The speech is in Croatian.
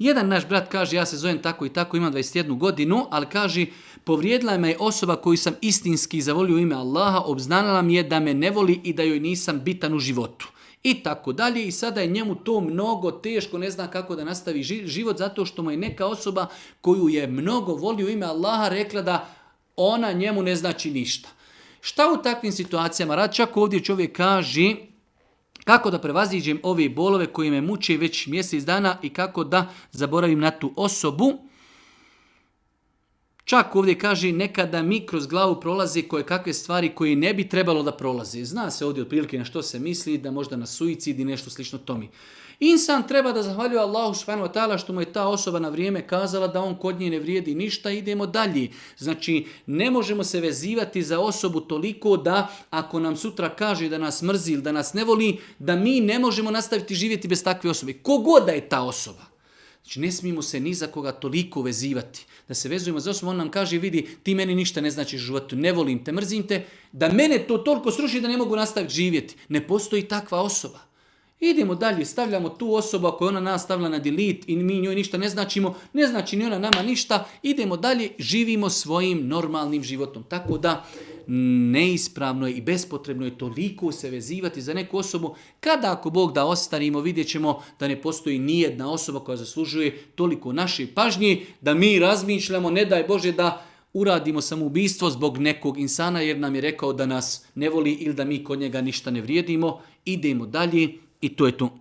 Jedan naš brat kaže, ja se zovem tako i tako, imam 21 godinu, ali kaže, povrijedila me je osoba koju sam istinski zavolio u ime Allaha, obznanila mi je da me ne voli i da joj nisam bitan u životu. I tako dalje. I sada je njemu to mnogo teško, ne zna kako da nastavi život, zato što mu je neka osoba koju je mnogo volio u ime Allaha rekla da ona njemu ne znači ništa. Šta u takvim situacijama radi? Čak ovdje čovjek kaže kako da prevaziđem ove bolove koje me muče već mjesec dana i kako da zaboravim na tu osobu. Čak ovdje kaže nekada mi kroz glavu prolaze koje kakve stvari koje ne bi trebalo da prolaze. Zna se ovdje otprilike na što se misli, da možda na suicid i nešto slično tome. Insan treba da zahvaljuje Allahu subhanahu wa ta'ala što mu je ta osoba na vrijeme kazala da on kod nje ne vrijedi ništa, idemo dalje. Znači, ne možemo se vezivati za osobu toliko da ako nam sutra kaže da nas mrzi ili da nas ne voli, da mi ne možemo nastaviti živjeti bez takve osobe. Kogod da je ta osoba. Znači, ne smijemo se ni za koga toliko vezivati. Da se vezujemo za osobu, on nam kaže, vidi, ti meni ništa ne značiš u životu, ne volim te, mrzim te, da mene to toliko sruši da ne mogu nastaviti živjeti. Ne postoji takva osoba. Idemo dalje, stavljamo tu osobu ako je ona nas stavila na delete i mi njoj ništa ne značimo, ne znači ni ona nama ništa, idemo dalje, živimo svojim normalnim životom. Tako da neispravno je i bespotrebno je toliko se vezivati za neku osobu, kada ako Bog da ostarimo, vidjet ćemo da ne postoji nijedna osoba koja zaslužuje toliko naše pažnje, da mi razmišljamo, ne daj Bože da uradimo samoubistvo zbog nekog insana jer nam je rekao da nas ne voli ili da mi kod njega ništa ne vrijedimo, idemo dalje. I to je to.